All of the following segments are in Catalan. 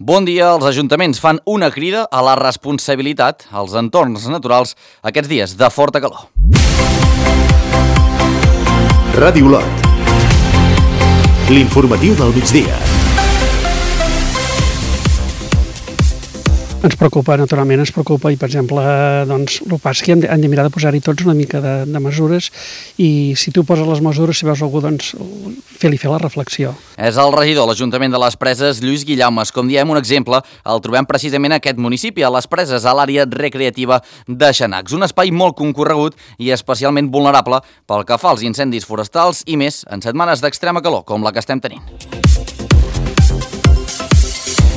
Bon dia, els ajuntaments fan una crida a la responsabilitat als entorns naturals aquests dies de forta calor. Ràdio Olot. L'informatiu del migdia. Ens preocupa, naturalment, i, per exemple, doncs, el pas que hem de mirar de posar-hi tots una mica de mesures i si tu poses les mesures, si veus algú, doncs, fer la reflexió. És el regidor de l'Ajuntament de les Preses, Lluís Guillaumes. Com diem, un exemple el trobem precisament a aquest municipi, a les Preses, a l'àrea recreativa de Xanacs. Un espai molt concorregut i especialment vulnerable pel que fa als incendis forestals i més en setmanes d'extrema calor, com la que estem tenint.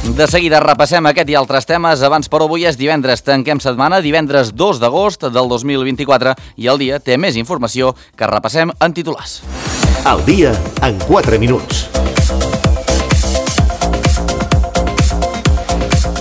De seguida repassem aquest i altres temes. Abans, però, avui és divendres. Tanquem setmana, divendres 2 d'agost del 2024, i el dia té més informació que repassem en titulars. El dia en 4 minuts.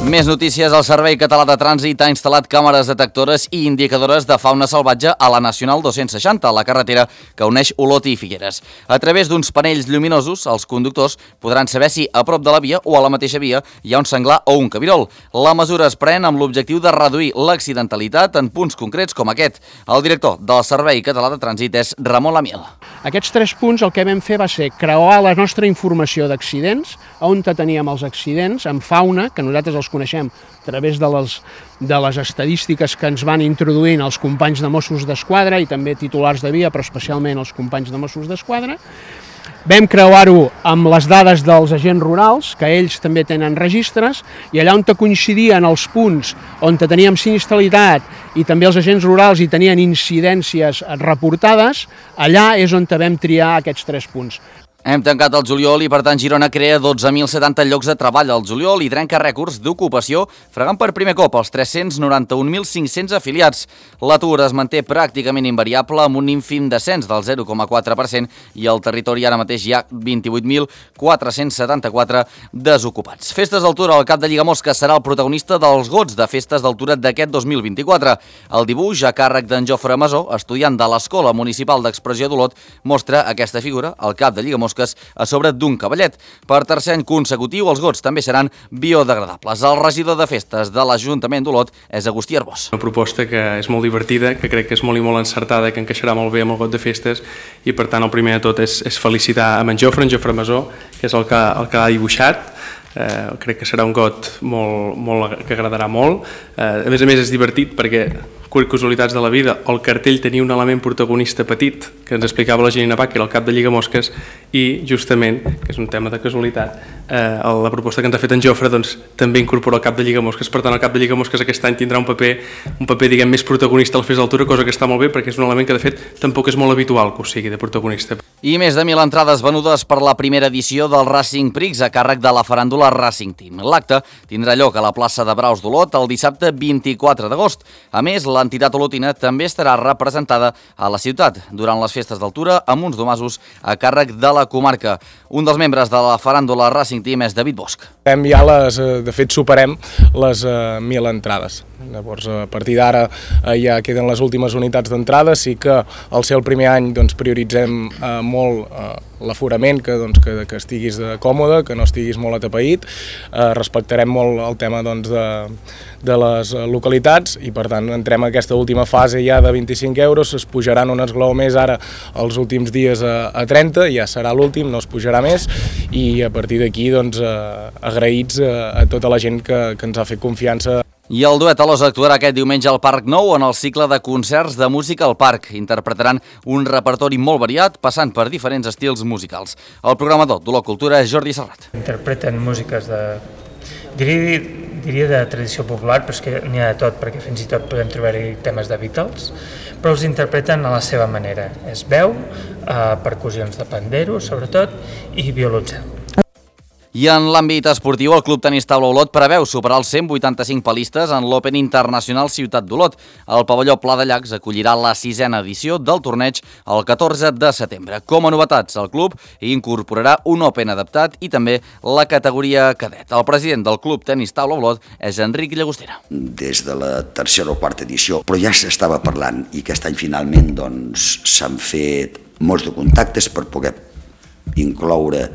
Més notícies. El Servei Català de Trànsit ha instal·lat càmeres detectores i indicadores de fauna salvatge a la Nacional 260, a la carretera que uneix Olot i Figueres. A través d'uns panells lluminosos, els conductors podran saber si a prop de la via o a la mateixa via hi ha un senglar o un cabirol. La mesura es pren amb l'objectiu de reduir l'accidentalitat en punts concrets com aquest. El director del Servei Català de Trànsit és Ramon Lamiel. Aquests 3 punts el que vam fer va ser creuar la nostra informació d'accidents, on teníem els accidents, amb fauna, que nosaltres els coneixem a través de les estadístiques que ens van introduint els companys de Mossos d'Esquadra i també titulars de via, però especialment els companys de Mossos d'Esquadra. Vam creuar-ho amb les dades dels agents rurals, que ells també tenen registres, i allà on coincidien els punts on teníem sinistralitat i també els agents rurals hi tenien incidències reportades, allà és on vam triar aquests 3 punts. Hem tancat el juliol i, per tant, Girona crea 12.070 llocs de treball al juliol i trenca rècords d'ocupació, fregant per primer cop els 391.500 afiliats. L'atur es manté pràcticament invariable amb un ínfim descens del 0,4% i al territori ara mateix hi ha 28.474 desocupats. Festes d'Altura, el cap de Lligamosques serà el protagonista dels gots de Festes d'Altura d'aquest 2024. El dibuix, a càrrec d'en Jofre Masó, estudiant de l'Escola Municipal d'Expressió d'Olot, mostra aquesta figura, el cap de Lligamosques, a sobre d'un cavallet. Per tercer any consecutiu, els gots també seran biodegradables. El regidor de festes de l'Ajuntament d'Olot és Agustí Arbós. Una proposta que és molt divertida, que crec que és molt i molt encertada, que encaixarà molt bé amb el got de festes i, per tant, el primer de tot és felicitar en Jofre Masó, que és el que l'ha dibuixat. Crec que serà un got que agradarà molt. A més és divertit perquè, casualitats de la vida, el cartell tenia un element protagonista petit que ens explicava la Janina Bach, que era el cap de Lligamosques, i justament, que és un tema de casualitat, la proposta que ens ha fet en Jofre doncs, també incorpora el cap de Lligamosques. Per tant, el cap de Lligamosques aquest any tindrà un paper diguem, més protagonista a la Festa d'Altura, cosa que està molt bé perquè és un element que de fet tampoc és molt habitual que ho sigui de protagonista. I més de 1.000 entrades venudes per la primera edició del Racing Prix a càrrec de la faràndula Racing Team. L'acte tindrà lloc a la plaça de Braus d'Olot el dissabte 24 d'agost. A més, l'entitat olotina també estarà representada a la ciutat durant les festes d'Altura amb uns domasos a càrrec de la comarca. Un dels membres de la faràndula Racing Team és David Bosch. De fet, superem les 1.000 entrades. Llavors, a partir d'ara ja queden les últimes unitats d'entrada. Sí que al ser el primer any prioritzem molt l'aforament, que estiguis còmode, que no estiguis molt atapeït. Respectarem molt el tema de les localitats i, per tant, entrem a aquesta última fase ja de 25 euros. Es pujaran un esglaó més ara els últims dies a 30, ja serà l'últim, no es pujarà més, i a partir d'aquí agraïts a tota la gent que ens ha fet confiança. I el duet Alòs actuarà aquest diumenge al Parc Nou en el cicle de concerts de música al parc. Interpretaran un repertori molt variat, passant per diferents estils musicals. El programador d'Olot Cultura és Jordi Serrat. Interpreten músiques diria de tradició popular, però és que n'hi ha de tot, perquè fins i tot podem trobar-hi temes de Beatles, però els interpreten a la seva manera. És veu, percussions de pandero, sobretot, i violoncel. I en l'àmbit esportiu, el Club Tenis Taula Olot preveu superar els 185 palistes en l'Open Internacional Ciutat d'Olot. El pavelló Pla de Llacs acollirà la 6a edició del torneig el 14 de setembre. Com a novetats, el club incorporarà un Open adaptat i també la categoria cadet. El president del Club Tenis Taula Olot és Enric Llagostera. Des de la tercera o quarta edició, però ja s'estava parlant i aquest any finalment s'han fet molts de contactes per poder incloure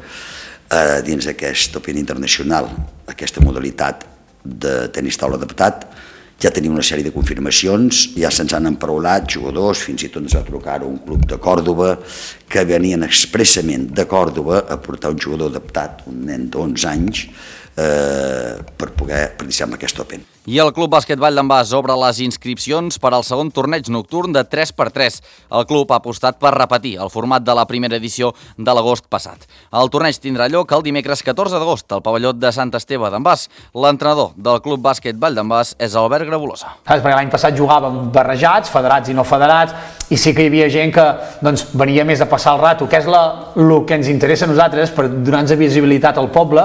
dins d'aquest Open Internacional, aquesta modalitat de tenis taula adaptat. Ja tenim una sèrie de confirmacions, ja se'ns han emparaulat jugadors, fins i tot ens va trucar un club de Còrdoba que venien expressament de Còrdoba a portar un jugador adaptat, un nen d'11 anys, per poder participar en aquest Open. I el Club Bàsquet Vall d'en Bas obre les inscripcions per al segon torneig nocturn de 3x3. El club ha apostat per repetir el format de la primera edició de l'agost passat. El torneig tindrà lloc el dimecres 14 d'agost al pavelló de Sant Esteve d'en Bas. L'entrenador del Club Bàsquet Vall d'en Bas és Albert Grabolosa. Perquè l'any passat jugàvem barrejats, federats i no federats, i sí que hi havia gent que venia més a passar el rato, que és el que ens interessa a nosaltres per donar-nos visibilitat al poble,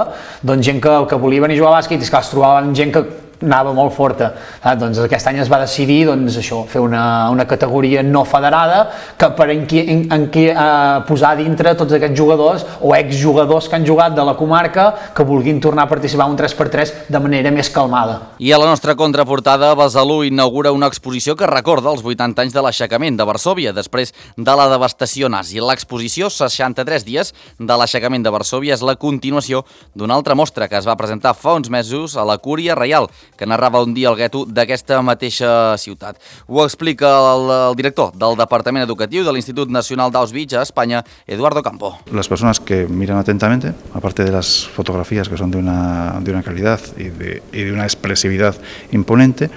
gent que volia venir a jugar a bàsquet i es trobaven gent que anava molt forta. Doncs aquest any es va decidir fer una categoria no federada que per posar dintre tots aquests jugadors o exjugadors que han jugat de la comarca que vulguin tornar a participar en un 3x3 de manera més calmada. I a la nostra contraportada, Besalú inaugura una exposició que recorda els 80 anys de l'aixecament de Varsòvia després de la devastació nazi. L'exposició 63 dies de l'aixecament de Varsòvia és la continuació d'una altra mostra que es va presentar fa uns mesos a la Cúria Reial, que narrava un dia el gueto d'aquesta mateixa ciutat. Ho explica el director del Departament Educatiu de l'Institut Nacional d'Auschwitz a España, Eduardo Campo. Las personas que miran atentamente, aparte de las fotografías que son de una calidad y de una expresividad imponente,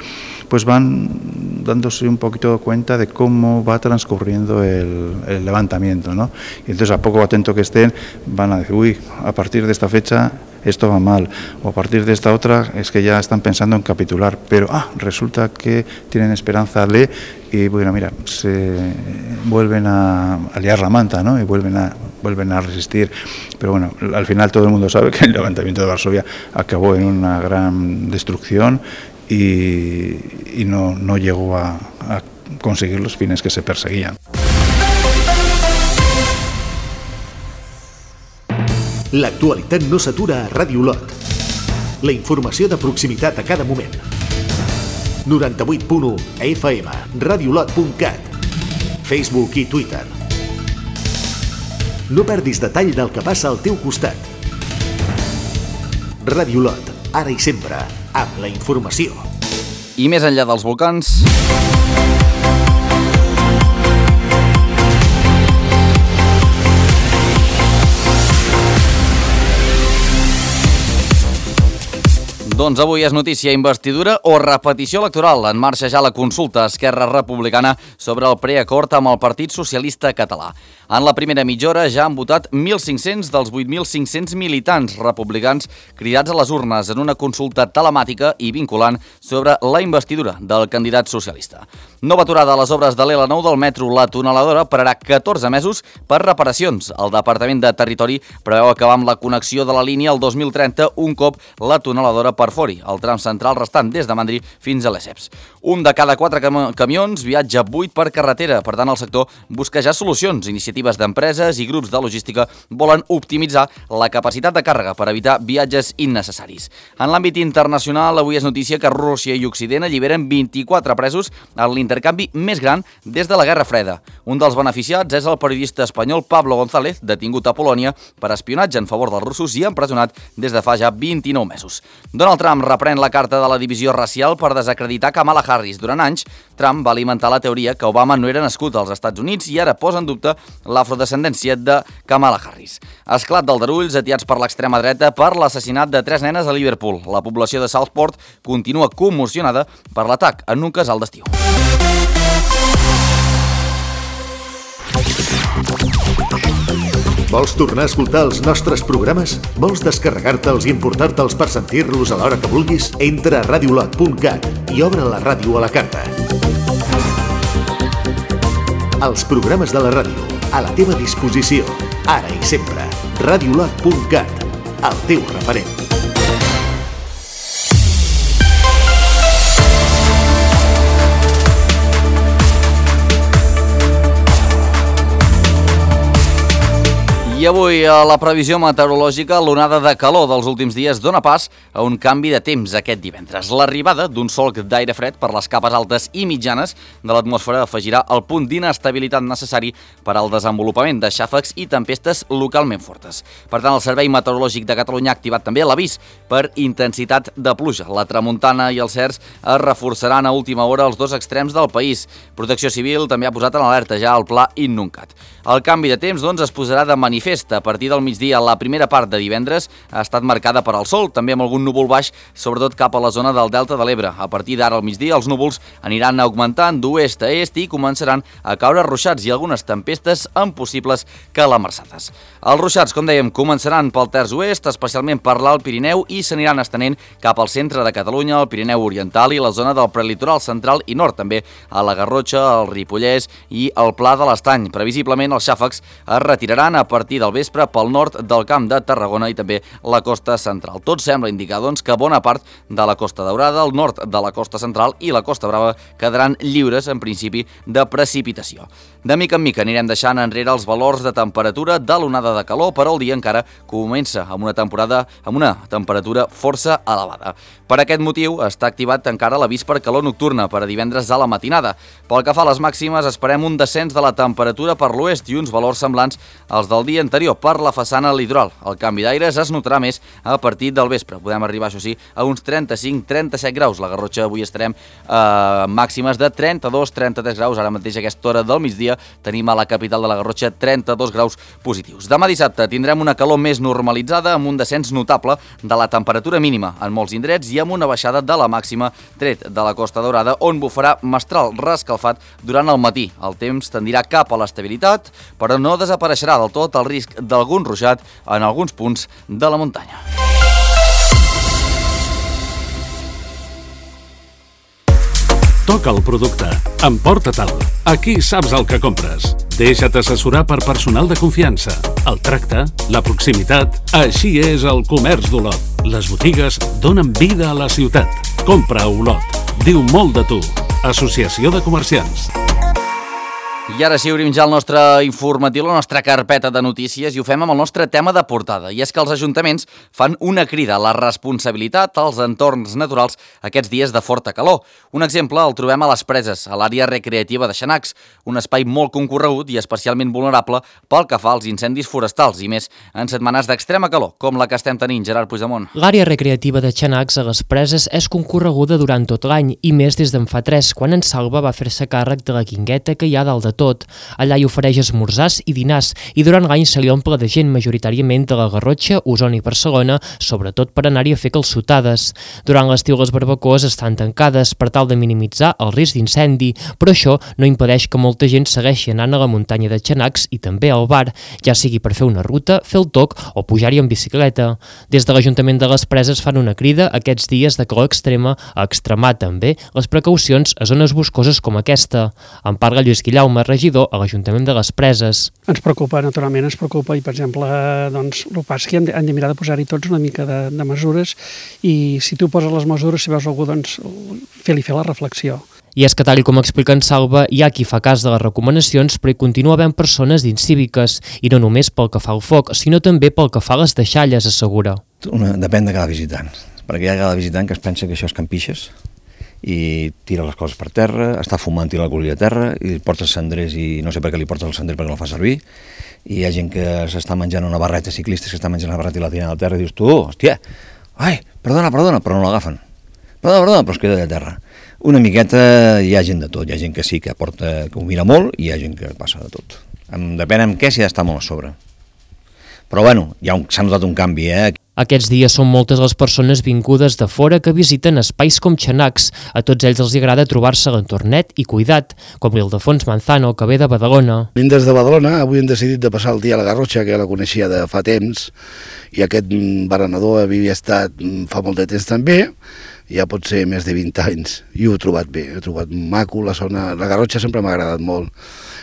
pues van dándose un poquito cuenta de cómo va transcurriendo el levantamiento, ¿no? Y entonces, a poco atento que estén, van a decir, uy, a partir de esta fecha esto va mal, o a partir de esta otra es que ya están pensando en capitular, pero resulta que tienen esperanza de, y bueno, mira, se vuelven a liar la manta, ¿no? Y vuelven a resistir, pero bueno, al final todo el mundo sabe que el levantamiento de Varsovia acabó en una gran destrucción y no llegó a conseguir los fines que se perseguían. L'actualitat no s'atura a Ràdio Olot. La informació de proximitat a cada moment. 98.1 FM, radiolot.cat, Facebook i Twitter. No perdis detall del que passa al teu costat. Ràdio Olot, ara i sempre, amb la informació. I més enllà dels volcans... Doncs avui és notícia investidura o repetició electoral. En marxa ja la consulta a Esquerra Republicana sobre el preacord amb el Partit Socialista Català. En la primera mitja hora ja han votat 1.500 dels 8.500 militants republicans cridats a les urnes en una consulta telemàtica i vinculant sobre la investidura del candidat socialista. Nova aturada a les obres de l'L9 del metro. La tuneladora pararà 14 mesos per reparacions. El Departament de Territori preveu acabar amb la connexió de la línia el 2030 un cop la tuneladora perfori el tram central restant des de Mandri fins a Lesseps. Un de cada 4 camions viatja 8 per carretera. Per tant, el sector busca ja solucions. Iniciatives d'empreses i grups de logística volen optimitzar la capacitat de càrrega per evitar viatges innecessaris. En l'àmbit internacional, avui és notícia que Rússia i Occident alliberen 24 presos en l'intercanvi més gran des de la Guerra Freda. Un dels beneficiats és el periodista espanyol Pablo González, detingut a Polònia per espionatge en favor dels russos i empresonat des de fa ja 29 mesos. Donald Trump reprèn la carta de la divisió racial per desacreditar Kamala Harris. Durant anys, Trump va alimentar la teoria que Obama no era nascut als Estats Units i ara posa en dubte l'afrodescendència de Kamala Harris. Esclat d'aldarulls atiats per l'extrema dreta per l'assassinat de 3 nenes a Liverpool. La població de Southport continua commocionada per l'atac en un casal d'estiu. Vols tornar a escoltar els nostres programes? Vols descarregar-te'ls i importar-te'ls per sentir-los a l'hora que vulguis? Entra a radiolot.cat i obre la ràdio a la carta. Els programes de la ràdio, a la teva disposició, ara i sempre. Radiolot.cat, el teu referent. I avui a la previsió meteorològica l'onada de calor dels últims dies dona pas a un canvi de temps aquest divendres. L'arribada d'un solc d'aire fred per les capes altes i mitjanes de l'atmosfera afegirà el punt d'inestabilitat necessari per al desenvolupament de xàfecs i tempestes localment fortes. Per tant, el Servei Meteorològic de Catalunya ha activat també l'avís per intensitat de pluja. La tramuntana i els cerç es reforçaran a última hora als dos extrems del país. Protecció Civil també ha posat en alerta ja el pla Innuncat. El canvi de temps, doncs, es posarà de manifest. A partir del migdia, la primera part de divendres ha estat marcada per al sol, també amb algun núvol baix, sobretot cap a la zona del Delta de l'Ebre. A partir d'ara al migdia, els núvols aniran augmentant d'oest a est i començaran a caure ruixats i algunes tempestes amb possibles calamarsades. Els ruixats, com dèiem, començaran pel terç oest, especialment per l'Alt Pirineu, i s'aniran estenent cap al centre de Catalunya, el Pirineu Oriental i la zona del prelitoral central i nord, també a la Garrotxa, el Ripollès i el Pla de l'Estany. Previsiblement, els xàfecs es retiraran a partir del vespre pel nord del Camp de Tarragona i també la costa central. Tot sembla indicar, doncs, que bona part de la Costa Daurada, el nord de la costa central i la Costa Brava quedaran lliures, en principi, de precipitació. De mica en mica anirem deixant enrere els valors de temperatura de l'onada de calor, però el dia encara comença amb una temperatura força elevada. Per aquest motiu està activat encara l'avís per calor nocturna per a divendres a la matinada. Pel que fa a les màximes, esperem un descens de la temperatura per l'oest i uns valors semblants als del dia anterior per la façana litoral. El canvi d'aires es notarà més a partir del vespre. Podem arribar, això sí, a uns 35-37 graus. La Garrotxa avui estarem a màximes de 32-33 graus. Ara mateix a aquesta hora del migdia tenim a la capital de la Garrotxa 32 graus positius. Demà dissabte tindrem una calor més normalitzada amb un descens notable de la temperatura mínima en molts indrets i amb una baixada de la màxima tret de la Costa Daurada, on bufarà mestral reescalfat durant el matí. El temps tendirà cap a l'estabilitat, però no desapareixerà del tot el risc d'algun ruixat en alguns punts de la muntanya. Toca el producte. Emporta-te'l. Aquí saps el que compres. Deixa't assessorar per personal de confiança. El tracte, la proximitat, així és el comerç d'Olot. Les botigues donen vida a la ciutat. Compra a Olot. Diu molt de tu. Associació de Comerciants. I ara sí, obrim ja el nostre informatiu, la nostra carpeta de notícies, i ho fem amb el nostre tema de portada. I és que els ajuntaments fan una crida a la responsabilitat als entorns naturals aquests dies de forta calor. Un exemple el trobem a les Preses, a l'àrea recreativa de Xanacs, un espai molt concorregut i especialment vulnerable pel que fa als incendis forestals, i més en setmanes d'extrema calor, com la que estem tenint, Gerard Puigdemont. L'àrea recreativa de Xanacs a les Preses és concorreguda durant tot l'any, i més des d'en fa 3, quan en Salva va fer-se càrrec de la guingueta que hi ha dalt de tot. Allà hi ofereix esmorzars i dinars, i durant l'any se li omple de gent, majoritàriament de la Garrotxa, Osona i Barcelona, sobretot per anar-hi a fer calçotades. Durant l'estiu les barbacoes estan tancades per tal de minimitzar el risc d'incendi, però això no impedeix que molta gent segueixi anant a la muntanya de Xanacs i també al bar, ja sigui per fer una ruta, fer el toc o pujar-hi en bicicleta. Des de l'Ajuntament de les Preses fan una crida aquests dies de calor extrema a extremar també les precaucions a zones boscoses com aquesta. En parla Lluís Guillaume, regidor a l'Ajuntament de les Preses. Ens preocupa, naturalment, i per exemple, doncs, el pas que hem de mirar de posar-hi tots una mica de mesures, i si tu poses les mesures, si veus algú, doncs fer la reflexió. I és que, tal com explica en Salva, hi ha qui fa cas de les recomanacions, però hi continua havent persones incíviques, i no només pel que fa al foc, sinó també pel que fa a les deixalles, assegura. Depèn de cada visitant, perquè hi ha cada visitant que es pensa que això és campixes, i tira les coses per terra, està fumant, tira l'alcohol a terra, i porta els cendrers, i no sé per què li porta el cendrer perquè no el fa servir, i hi ha gent que s'està menjant una barreta, ciclistes que està menjant una barreta i la tiren a terra, i dius tu, hòstia, ai, perdona, però no l'agafen, perdona, però es queda de terra. Una miqueta hi ha gent de tot, hi ha gent que sí que porta, que ho mira molt, i hi ha gent que passa de tot. Depèn amb què s'hi ha d'estar molt a sobre. Però bueno, s'ha notat un canvi, Aquests dies són moltes les persones vingudes de fora que visiten espais com Xanacs. A tots ells els agrada trobar-se a l'entornet i cuidat, com l'Ildefons Manzano, que ve de Badalona. Vinc des de Badalona, avui hem decidit de passar el dia a la Garrotxa, que ja la coneixia de fa temps, i aquest berenador havia estat fa molt de temps també, ja pot ser més de 20 anys, i ho he trobat bé, he trobat maco, la zona, la Garrotxa sempre m'ha agradat molt,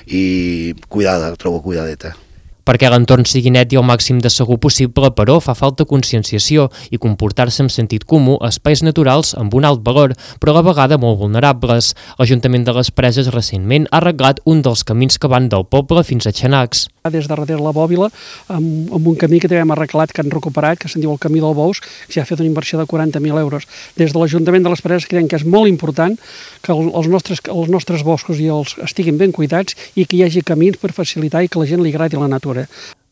i cuidada, trobo cuidadeta. Perquè l'entorn sigui net i el màxim de segur possible, però fa falta conscienciació i comportar-se amb sentit comú a espais naturals amb un alt valor, però a la vegada molt vulnerables. L'Ajuntament de les Preses recentment ha arreglat un dels camins que van del poble fins a Xanacs. Des de darrere la Bòbila, amb un camí que també hem arreglat, que han recuperat, que se'n diu el Camí del Bous, que s'hi ha fet una inversió de 40.000 euros. Des de l'Ajuntament de les Preses creiem que és molt important que els nostres boscos estiguin ben cuidats i que hi hagi camins per facilitar i que la gent li agradi la natura.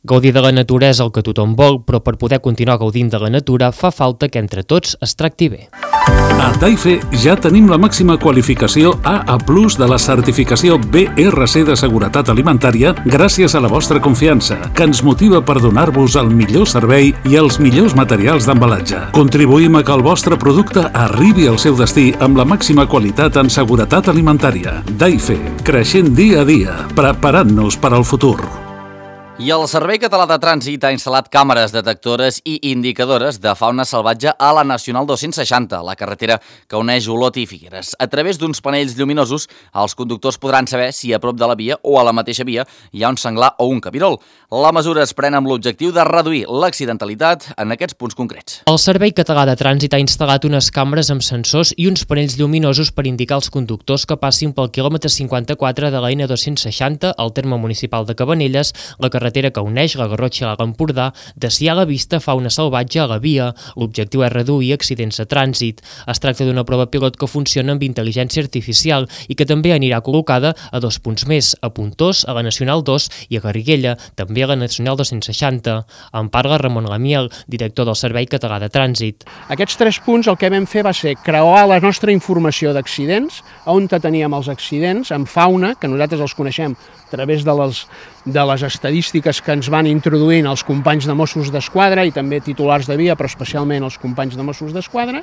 Gaudir de la natura és el que tothom vol, però per poder continuar gaudint de la natura fa falta que entre tots es tracti bé. A Daife ja tenim la màxima qualificació AA+ de la certificació BRC de seguretat alimentària gràcies a la vostra confiança, que ens motiva per donar-vos el millor servei i els millors materials d'embalatge. Contribuïm a que el vostre producte arribi al seu destí amb la màxima qualitat en seguretat alimentària. Daife, creixent dia a dia, preparant-nos per al futur. I el Servei Català de Trànsit ha instal·lat càmeres detectores i indicadores de fauna salvatge a la Nacional 260, la carretera que uneix Olot i Figueres. A través d'uns panells lluminosos, els conductors podran saber si a prop de la via o a la mateixa via hi ha un senglar o un cabirol. La mesura es pren amb l'objectiu de reduir l'accidentalitat en aquests punts concrets. El Servei Català de Trànsit ha instal·lat unes càmeres amb sensors i uns panells lluminosos per indicar als conductors que passin pel quilòmetre 54 de la N260 al terme municipal de Cabanelles, la carretera que uneix la Garrotxa a l'Empordà, de si hi ha a la vista fauna salvatge a la via. L'objectiu és reduir accidents de trànsit. Es tracta d'una prova pilot que funciona amb intel·ligència artificial i que també anirà col·locada a 2 punts més, a Pontós, a la Nacional 2 i a Garriguella, també a la Nacional 260. En parla Ramon Lamiel, director del Servei Català de Trànsit. Aquests 3 punts el que vam fer va ser creuar la nostra informació d'accidents, on teníem els accidents, amb fauna, que nosaltres els coneixem a través de les estadístiques que ens van introduint els companys de Mossos d'Esquadra i també titulars de via, però especialment els companys de Mossos d'Esquadra.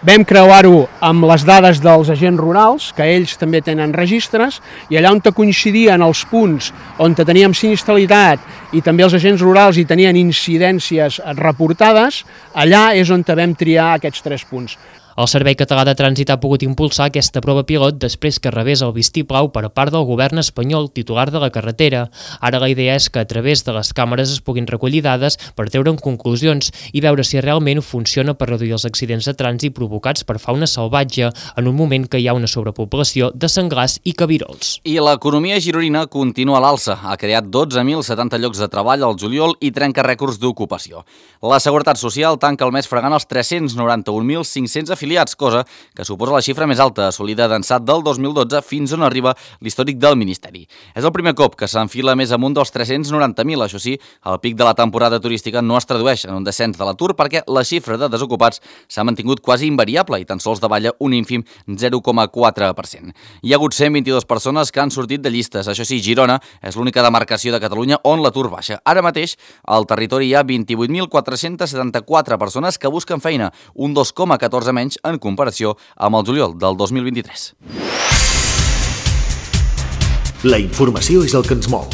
Vam creuar-ho amb les dades dels agents rurals, que ells també tenen registres, i allà on coincidien els punts on teníem sinistralitat i també els agents rurals hi tenien incidències reportades, allà és on vam triar aquests 3 punts. El Servei Català de Trànsit ha pogut impulsar aquesta prova pilot després que rebés el vistiplau per part del govern espanyol titular de la carretera. Ara la idea és que a través de les càmeres es puguin recollir dades per treure'n conclusions i veure si realment funciona per reduir els accidents de trànsit provocats per fauna salvatge en un moment que hi ha una sobrepoblació de senglars i cabirols. I l'economia gironina continua a l'alça. Ha creat 12.070 llocs de treball al juliol i trenca rècords d'ocupació. La Seguretat Social tanca el mes fregant els 391.500 afiliats, cosa que suposa la xifra més alta assolida d'ençà del 2012 fins on arriba l'històric del Ministeri. És el primer cop que s'enfila més amunt dels 390.000. Això sí, el pic de la temporada turística no es tradueix en un descens de l'atur perquè la xifra de desocupats s'ha mantingut quasi invariable i tan sols davalla un ínfim 0,4%. Hi ha hagut 122 persones que han sortit de llistes. Això sí, Girona és l'única demarcació de Catalunya on l'atur baixa. Ara mateix, al territori hi ha 28.474 persones que busquen feina, un 2,14 menys en comparació amb el juliol del 2023. La informació és el que ens mou.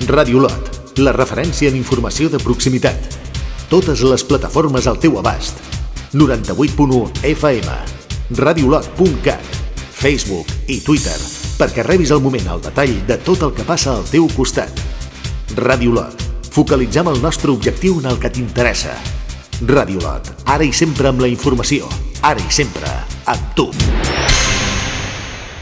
Ràdio Olot, la referència en informació de proximitat. Totes les plataformes al teu abast. 98.1 FM, radiolot.cat, Facebook i Twitter, perquè rebis al moment el detall de tot el que passa al teu costat. Ràdio Olot, focalitzem el nostre objectiu en el que t'interessa. Ràdio Olot, ara i sempre amb la informació, ara i sempre amb tu.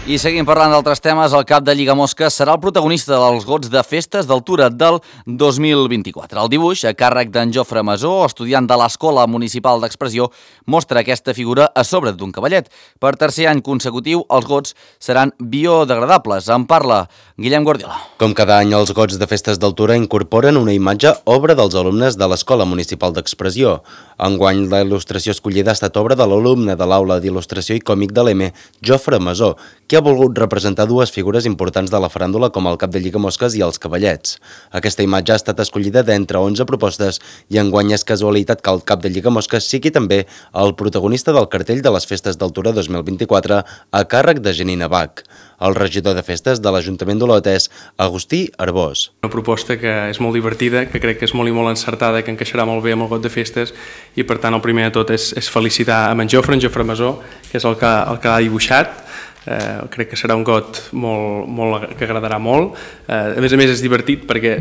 I seguim parlant d'altres temes. El cap de Lligamosques serà el protagonista dels gots de festes d'altura del 2024. El dibuix, a càrrec d'en Jofre Masó, estudiant de l'Escola Municipal d'Expressió, mostra aquesta figura a sobre d'un cavallet. Per tercer any consecutiu, els gots seran biodegradables. En parla Guillem Guardiola. Com cada any, els gots de festes d'altura incorporen una imatge obra dels alumnes de l'Escola Municipal d'Expressió. Enguany, la il·lustració escollida ha estat obra de l'alumne de l'Aula d'Il·lustració i Còmic de l'EME, Jofre Masó, que ha volgut representar dues figures importants de la faràndula com el cap de Lligamosques i els cavallets. Aquesta imatge ha estat escollida d'entre 11 propostes i enguany és casualitat que el cap de Lligamosques sigui també el protagonista del cartell de les Festes d'Altura 2024 a càrrec de Janina Bach. El regidor de festes de l'Ajuntament d'Olot és Agustí Arbós. Una proposta que és molt divertida, que crec que és molt i molt encertada, que encaixarà molt bé amb el got de festes i per tant el primer de tot és felicitar a en Jofre Masó, que és el que ha dibuixat. Crec que serà un got que agradarà molt. A més és divertit perquè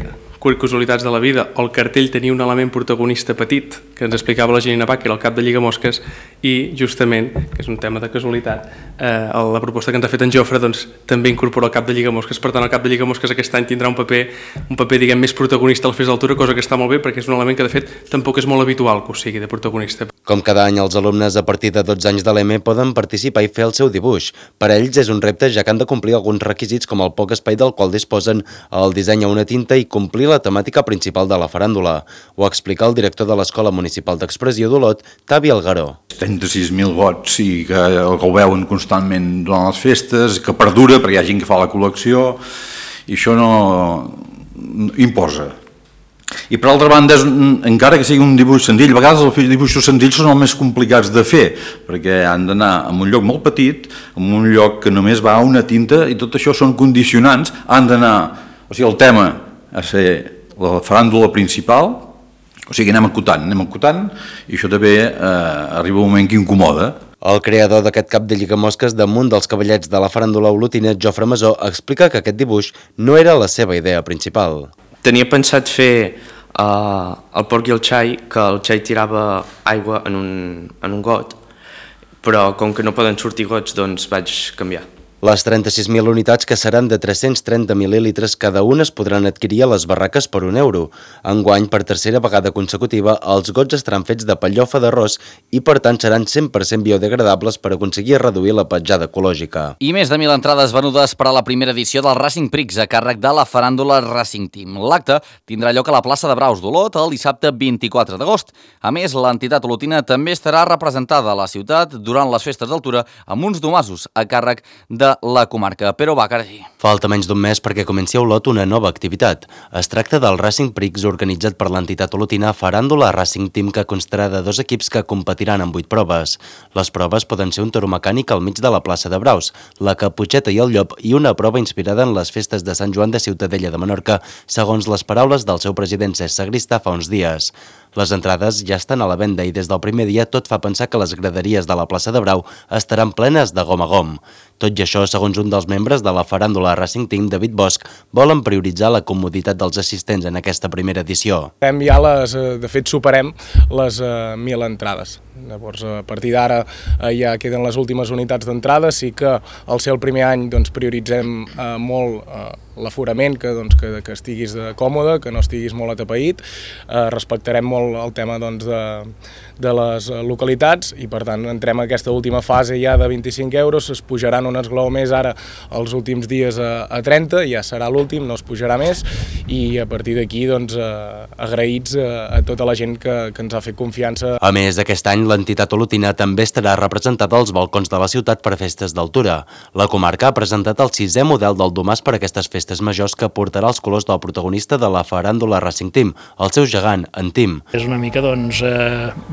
casualitats de la vida, o el cartell tenia un element protagonista petit que ens explicava la Janina Bach, que era el cap de Lligamosques, i justament, que és un tema de casualitat, la proposta que ens ha fet en Jofre doncs, també incorpora el cap de Lligamosques. Per tant, el cap de Lligamosques aquest any tindrà un paper diguem, més protagonista a la Festa d'Altura, cosa que està molt bé perquè és un element que de fet tampoc és molt habitual que ho sigui de protagonista. Com cada any, els alumnes a partir de 12 anys de l'EME poden participar i fer el seu dibuix. Per a ells és un repte, ja que han de complir alguns requisits com el poc espai del qual disposen, el disseny a una tinta i complir la temàtica principal de la faràndula. Ho explica el director de l'Escola Municipal d'Expressió d'Olot, Tavi Algaró. 36.000 gots i que ho veuen constantment durant les festes, que perdura perquè hi ha gent que fa la col·lecció i això no imposa. I per altra banda, encara que sigui un dibuix senzill, a vegades els dibuixos senzills són els més complicats de fer, perquè han d'anar a un lloc molt petit, en un lloc que només va una tinta, i tot això són condicionants, han d'anar, o sigui, el tema a ser la faràndula principal, o sigui, anem acotant, i això també arriba un moment que incomoda. El creador d'aquest cap de Lligamosques damunt dels cavallets de la faràndula olotina, Jofre Masó, explica que aquest dibuix no era la seva idea principal. Tenia pensat fer el porc i el xai, que el xai tirava aigua en un got, però com que no poden sortir gots, doncs vaig canviar. Les 36.000 unitats, que seran de 330 mil·lilitres cada una, es podran adquirir a les barraques per €1. Enguany, per tercera vegada consecutiva, els gots estaran fets de pellofa d'arròs i, per tant, seran 100% biodegradables per aconseguir reduir la petjada ecològica. I més de 1.000 entrades venudes per a la primera edició del Racing Prix a càrrec de la faràndula Racing Team. L'acte tindrà lloc a la plaça de Braus d'Olot el dissabte 24 d'agost. A més, l'entitat olotina també estarà representada a la ciutat durant les festes d'altura amb uns domassos a càrrec de la comarca. Però va, carai. Falta menys d'un mes perquè comenci a Olot una nova activitat. Es tracta del Racing Prix organitzat per l'entitat olotina Faràndula Racing Team, que constarà de 2 equips que competiran en 8 proves. Les proves poden ser un toro mecànic al mig de la plaça de Braus, la Caputxeta i el Llop i una prova inspirada en les festes de Sant Joan de Ciutadella de Menorca, segons les paraules del seu president Cesc Sagristà fa uns dies. Les entrades ja estan a la venda i des del primer dia tot fa pensar que les graderies de la plaça de Brau estaran plenes de gom a gom. Tot i això, segons un dels membres de la Faràndula Racing Team, David Bosch, volen prioritzar la comoditat dels assistents en aquesta primera edició. De fet, superem les 1.000 entrades. Llavors, a partir d'ara ja queden les últimes unitats d'entrada. Sí que al ser el primer any prioritzem molt l'aforament, que estiguis còmode, que no estiguis molt atapeït. Respectarem molt el tema de les localitats i, per tant, entrem a aquesta última fase ja de 25 €. Es pujaran un esglaó més ara els últims dies a 30, ja serà l'últim, no es pujarà més, i a partir d'aquí agraïts a tota la gent que ens ha fet confiança. A més, aquest any l'entitat olotina també estarà representada als balcons de la ciutat per festes d'altura. La comarca ha presentat el 6è model del domàs per a aquestes festes majors, que portarà els colors del protagonista de la Faràndula Racing Team, el seu gegant, en Tim. És una mica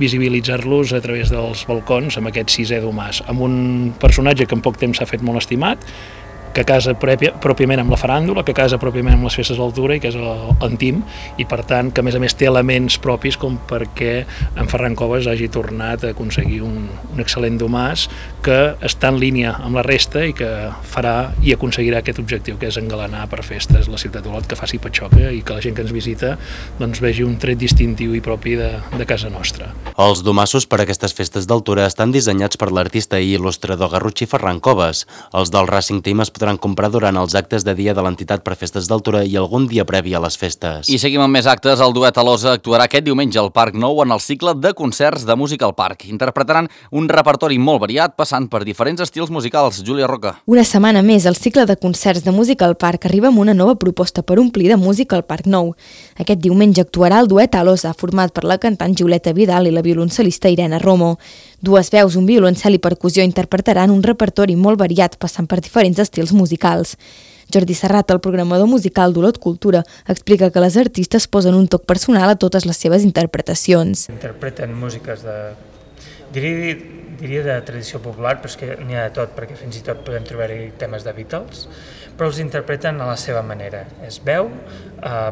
visibilitzar-los a través dels balcons amb aquest 6è domàs, amb un personatge que en poc temps s'ha fet molt estimat, que casa pròpiament amb la faràndula, que casa pròpiament amb les festes d'altura, i que és en Tim, i per tant que a més té elements propis com perquè en Ferran Coves hagi tornat a aconseguir un excel·lent domàs que està en línia amb la resta i que farà i aconseguirà aquest objectiu, que és engalanar per festes la ciutat d'Olot, que faci patxoca i que la gent que ens visita vegi un tret distintiu i propi de casa nostra. Els domassos per a aquestes festes d'altura estan dissenyats per l'artista i il·lustrador garrotxí Ferran Coves. Els del Racing Team es podran comprar durant els actes de dia de l'entitat per festes d'altura i algun dia previ a les festes. I seguim amb més actes. El duet Alosa actuarà aquest diumenge al Parc Nou en el cicle de concerts de música al parc. Interpretaran un repertori molt variat, passant per diferents estils musicals. Júlia Roca. Una setmana més, el cicle de concerts de música al parc arriba amb una nova proposta per omplir de música al Parc Nou. Aquest diumenge actuarà el duet Alosa, format per la cantant Julieta Vidal i la violoncel·lista Irene Romo. Dues veus, un violoncel i percussió interpretaran un repertori molt variat, passant per diferents estils musicals. Jordi Serrat, el programador musical d'Olot Cultura, explica que les artistes posen un toc personal a totes les seves interpretacions. Interpreten músiques diria de tradició popular, però és que n'hi ha de tot, perquè fins i tot podem trobar-hi temes de Beatles, però els interpreten a la seva manera. És veu,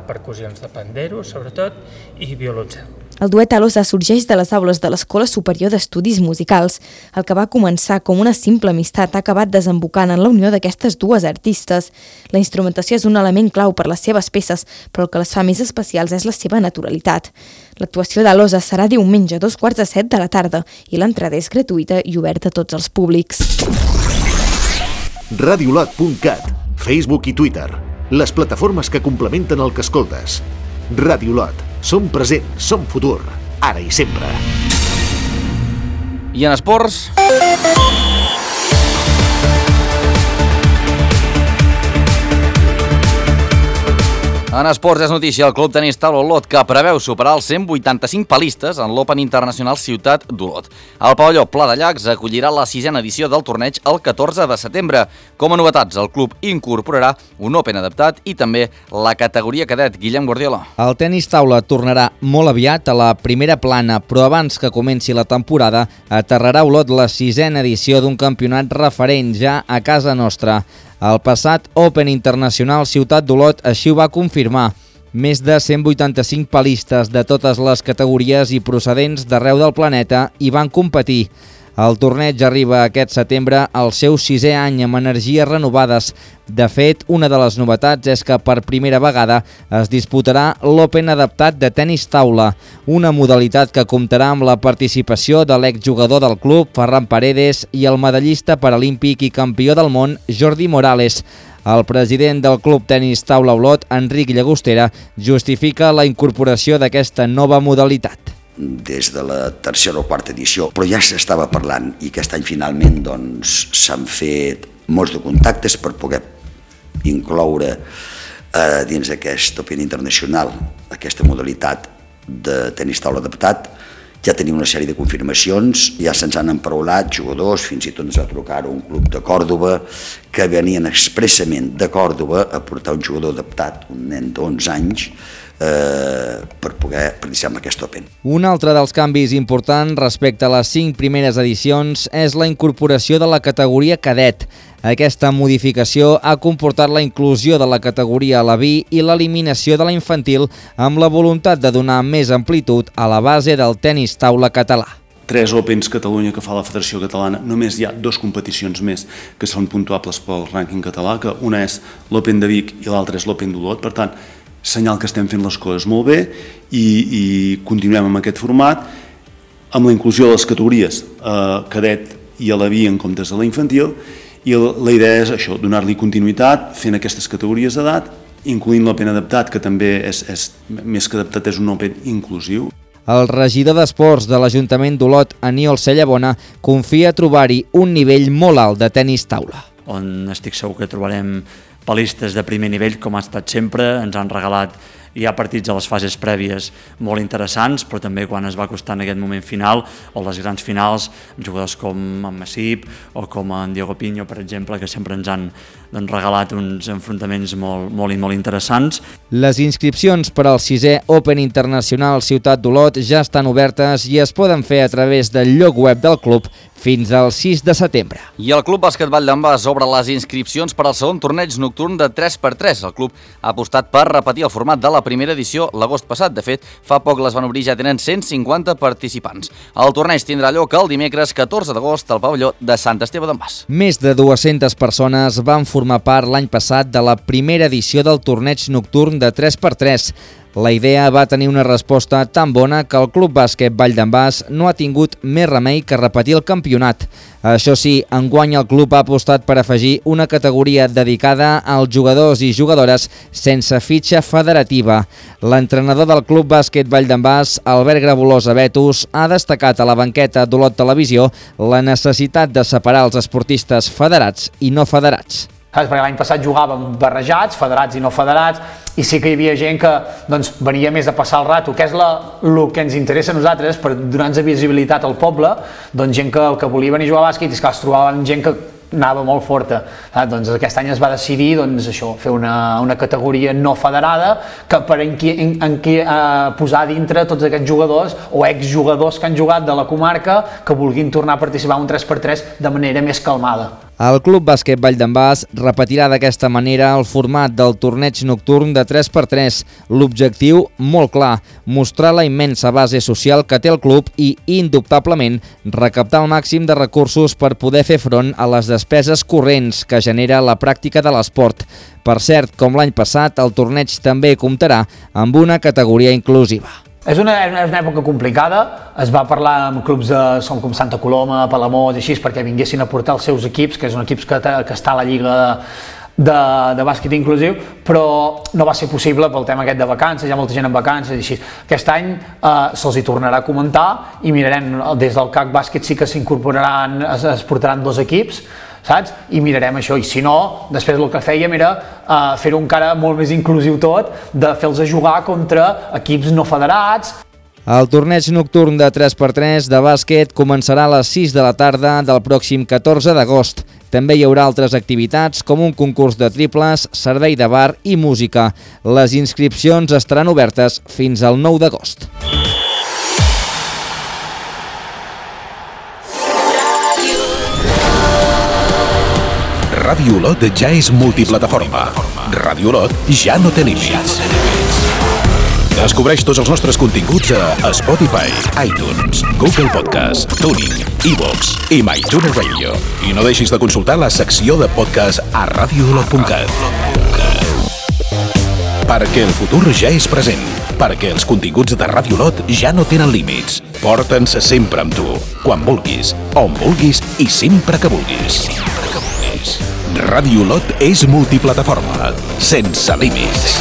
percussions de pandero, sobretot, i violoncel. El duet Alosa sorgeix de les aules de l'Escola Superior d'Estudis Musicals. El que va començar com una simple amistat ha acabat desembocant en la unió d'aquestes dues artistes. La instrumentació és un element clau per les seves peces, però el que les fa més especials és la seva naturalitat. L'actuació d'Alosa serà diumenge a 6:45 de la tarda i l'entrada és gratuïta i oberta a tots els públics. Radiolot.cat, Facebook i Twitter, les plataformes que complementen el que escoltes. Radiolot. Som present, som futur, ara i sempre. I en esports... En esports és notícia el Club Tenis Taula Olot, que preveu superar els 185 palistes en l'Open Internacional Ciutat d'Olot. El pavelló Pla de Llacs acollirà la 6a edició del torneig el 14 de setembre. Com a novetats, el club incorporarà un Open adaptat i també la categoria cadet. Guillem Guardiola. El tenis taula tornarà molt aviat a la primera plana, però abans que comenci la temporada aterrarà a Olot la 6a edició d'un campionat referent ja a casa nostra. El passat Open Internacional Ciutat d'Olot així ho va confirmar. Més de 185 palistes de totes les categories i procedents d'arreu del planeta hi van competir. El torneig arriba aquest setembre al seu 6è any amb energies renovades. De fet, una de les novetats és que per primera vegada es disputarà l'Open adaptat de tenis taula, una modalitat que comptarà amb la participació de l'exjugador del club, Ferran Paredes, i el medallista paralímpic i campió del món, Jordi Morales. El president del Club Tenis Taula Olot, Enric Llagostera, justifica la incorporació d'aquesta nova modalitat. Des de la tercera o quarta edició, però ja s'estava parlant i aquest any finalment s'han fet molts de contactes per poder incloure dins aquest Open Internacional aquesta modalitat de tenis taula adaptat. Ja tenim una sèrie de confirmacions, ja se'ns han emparaulat jugadors, fins i tot ens va trucar un club de Còrdova que venien expressament de Còrdova a portar un jugador adaptat, un nen d'11 anys, per poder participar en aquest Open. Un altre dels canvis importants respecte a les 5 primeres edicions és la incorporació de la categoria cadet. Aquesta modificació ha comportat la inclusió de la categoria a la B i l'eliminació de la infantil amb la voluntat de donar més amplitud a la base del tenis taula català. 3 Opens Catalunya que fa la Federació Catalana, només hi ha 2 competicions més que són puntuables pel rànquing català, que una és l'Open de Vic i l'altra és l'Open d'Olot. Per tant, senyal que estem fent les coses molt bé i continuem amb aquest format, amb la inclusió de les categories cadet i a la B en comptes de la infantil, i la idea és això, donar-li continuïtat fent aquestes categories d'edat, incloent l'Open adaptat, que també és més que adaptat, és un Open inclusiu. El regidor d'Esports de l'Ajuntament d'Olot, Aniol Cellabona, confia trobar-hi un nivell molt alt de tenis taula. On estic segur que trobarem palistes de primer nivell, com ha estat sempre. Ens han regalat ja partits a les fases prèvies molt interessants, però també quan es va acostant aquest moment final o les grans finals, jugadors com en Massip o com en Diego Piño, per exemple, que sempre ens han regalat uns enfrontaments molt interessants. Les inscripcions per al 6è Open Internacional Ciutat d'Olot ja estan obertes i es poden fer a través del lloc web del club fins al 6 de setembre. I el Club Bàsquet Valldambàs obre les inscripcions per al segon torneig nocturn de 3x3. El club ha apostat per repetir el format de la primera edició l'agost passat. De fet, fa poc les van obrir, ja tenen 150 participants. El torneig tindrà lloc el dimecres 14 d'agost al pavelló de Sant Esteve d'en Bas. Més de 200 persones van formar part l'any passat de la primera edició del torneig nocturn de 3x3. La idea va tenir una resposta tan bona que el Club Bàsquet Valldambàs no ha tingut més remei que repetir el campionat. Això sí, enguany el club ha apostat per afegir una categoria dedicada als jugadors i jugadores sense fitxa federativa. L'entrenador del Club Bàsquet Valldambàs, Albert Grabolosa Betus, ha destacat a la banqueta d'Olot Televisió la necessitat de separar els esportistes federats i no federats. Perquè l'any passat jugàvem barrejats, federats i no federats, i sí que hi havia gent que venia més a passar el rato, que és el que ens interessa a nosaltres, per donar-nos visibilitat al poble, gent que volia venir a jugar a bàsquet i es trobaven gent que anava molt forta. Doncs aquest any es va decidir fer una categoria no federada que posar dintre tots aquests jugadors o exjugadors que han jugat de la comarca que vulguin tornar a participar en un 3x3 de manera més calmada. El Club Bàsquet Vall d'en Bas repetirà d'aquesta manera el format del torneig nocturn de 3x3. L'objectiu, molt clar, mostrar la immensa base social que té el club i, indubtablement, recaptar el màxim de recursos per poder fer front a les despeses corrents que genera la pràctica de l'esport. Per cert, com l'any passat, el torneig també comptarà amb una categoria inclusiva. És una època complicada, es va parlar amb clubs com Santa Coloma, Palamós i així perquè vinguessin a portar els seus equips, que és un equip que està a la Lliga de bàsquet inclusiu, però no va ser possible pel tema aquest de vacances, hi ha molta gent en vacances i així. Aquest any se'ls hi tornarà a comentar i mirarem, des del CAC Bàsquet sí que s'incorporaran, es portaran 2 equips, saps? I mirarem això, i si no, després el que fèiem era fer-ho encara molt més inclusiu tot, de fer-los jugar contra equips no federats. El torneig nocturn de 3x3 de bàsquet començarà a les 6 de la tarda del pròxim 14 d'agost. També hi haurà altres activitats com un concurs de triples, servei de bar i música. Les inscripcions estaran obertes fins al 9 d'agost. Ràdio Olot ja és multiplataforma. Ràdio Olot ja no té límits. Descobreix tots els nostres continguts a Spotify, iTunes, Google Podcast, Tuning, iVoox i MyTuner Radio. I no deixis de consultar la secció de podcast a radioolot.cat. Perquè el futur ja és present. Perquè els continguts de Ràdio Olot ja no tenen límits. Porta'ns sempre amb tu, quan vulguis, on vulguis i sempre que vulguis. Ràdio Olot és multiplataforma, sense límits.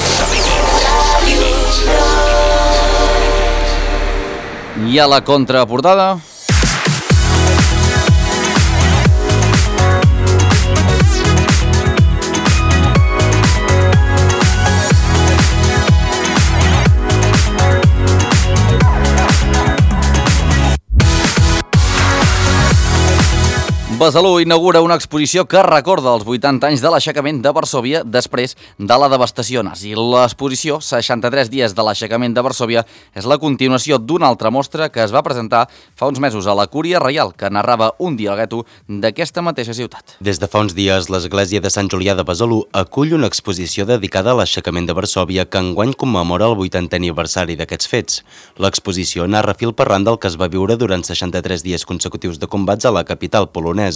I a la contraportada... Besalú inaugura una exposició que recorda els 80 anys de l'aixecament de Varsòvia després de la devastació nazi. L'exposició, 63 dies de l'aixecament de Varsòvia, és la continuació d'una altra mostra que es va presentar fa uns mesos a la Cúria Reial, que narrava un dia al gueto d'aquesta mateixa ciutat. Des de fa uns dies, l'església de Sant Julià de Besalú acull una exposició dedicada a l'aixecament de Varsòvia que enguany commemora el 80è aniversari d'aquests fets. L'exposició narra fil per randa el que es va viure durant 63 dies consecutius de combats a la capital polonesa.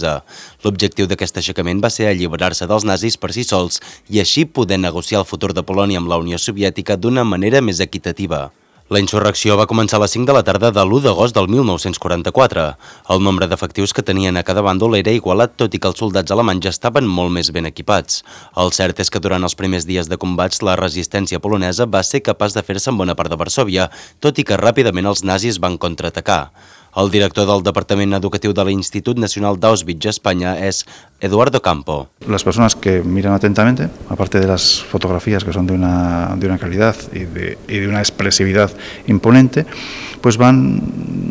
L'objectiu d'aquest aixecament va ser alliberar-se dels nazis per si sols i així poder negociar el futur de Polònia amb la Unió Soviètica d'una manera més equitativa. La insurrecció va començar a les 5 de la tarda de l'1 d'agost del 1944. El nombre d'efectius que tenien a cada bàndol era igualat, tot i que els soldats alemanys estaven molt més ben equipats. El cert és que durant els primers dies de combats la resistència polonesa va ser capaç de fer-se en bona part de Varsòvia, tot i que ràpidament els nazis van contraatacar. El director del Departament Educatiu de l'Institut Nacional d'Auschwitz, España, es Eduardo Campo. Las personas que miran atentamente, aparte de las fotografías que son de una calidad y de una expresividad imponente, pues van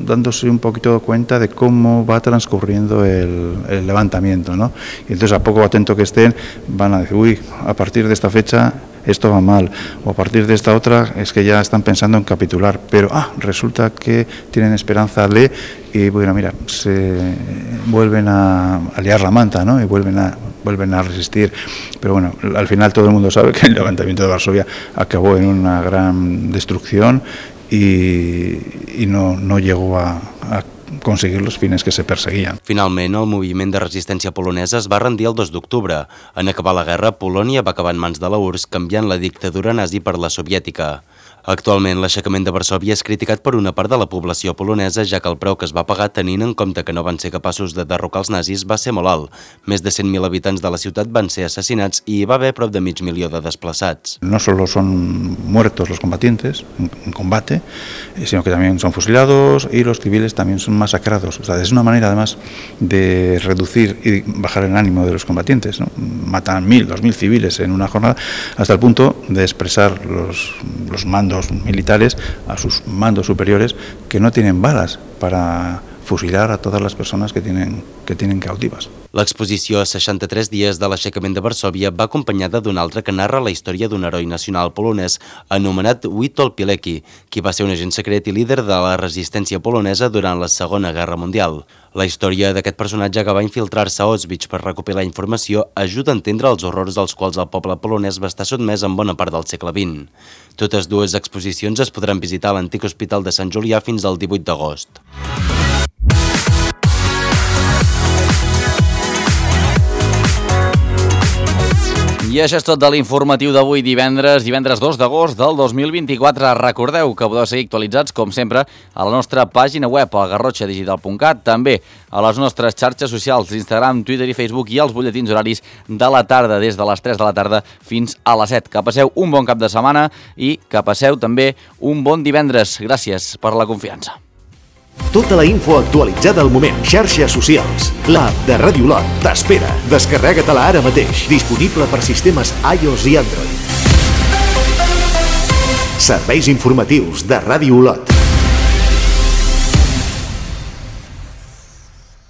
dándose un poquito cuenta de cómo va transcurriendo el levantamiento, ¿no? Y entonces, a poco atento que estén, van a decir, uy, a partir de esta fecha esto va mal, o a partir de esta otra es que ya están pensando en capitular, pero resulta que tienen esperanza y bueno, mira, se vuelven a liar la manta, ¿no? Y vuelven a resistir, pero bueno, al final todo el mundo sabe que el levantamiento de Varsovia acabó en una gran destrucción y no llegó a aconseguir los fines que se perseguien. Finalment, el moviment de resistència polonesa es va rendir el 2 d'octubre. En acabar la guerra, Polònia va acabar en mans de la URSS, canviant la dictadura nazi per la soviètica. Actualment, l'aixecament de Varsòvia és criticat per una part de la població polonesa, ja que el preu que es va pagar tenint en compte que no van ser capaços de derrocar els nazis va ser molt alt. Més de 100.000 habitants de la ciutat van ser assassinats i hi va haver prop de 500.000 de desplaçats. No solo son muertos los combatientes en combate, sino que también son fusilados y los civiles también son masacrados. O sea, es una manera además de reducir y bajar el ánimo de los combatientes, ¿no? Matan 1.000, 2.000 civiles en una jornada hasta el punto de expresar los mandos militares a sus mandos superiores que no tienen balas para fusilar a todas las personas que tienen cautivas. L'exposició 63 dies de l'aixecament de Varsòvia va acompanyada d'una altra que narra la història d'un heroi nacional polonès anomenat Witold Pilecki, qui va ser un agent secret i líder de la resistència polonesa durant la Segona Guerra Mundial. La història d'aquest personatge que va infiltrar-se a Auschwitz per recopilar informació ajuda a entendre els horrors dels quals el poble polonès va estar sotmès en bona part del segle XX. Totes dues exposicions es podran visitar a l'antic Hospital de Sant Julià fins al 18 d'agost. I això és tot de l'informatiu d'avui divendres 2 d'agost del 2024. Recordeu que podeu seguir actualitzats, com sempre, a la nostra pàgina web, a garrotxadigital.cat, també a les nostres xarxes socials, Instagram, Twitter i Facebook i als butlletins horaris de la tarda, des de les 3 de la tarda fins a les 7. Que passeu un bon cap de setmana i que passeu també un bon divendres. Gràcies per la confiança. Tota la info actualitzada al moment. Xarxes socials. L'app de Ràdio Olot t'espera. Descarrega-te-la ara mateix. Disponible per sistemes iOS i Android. Serveis informatius de Ràdio Olot.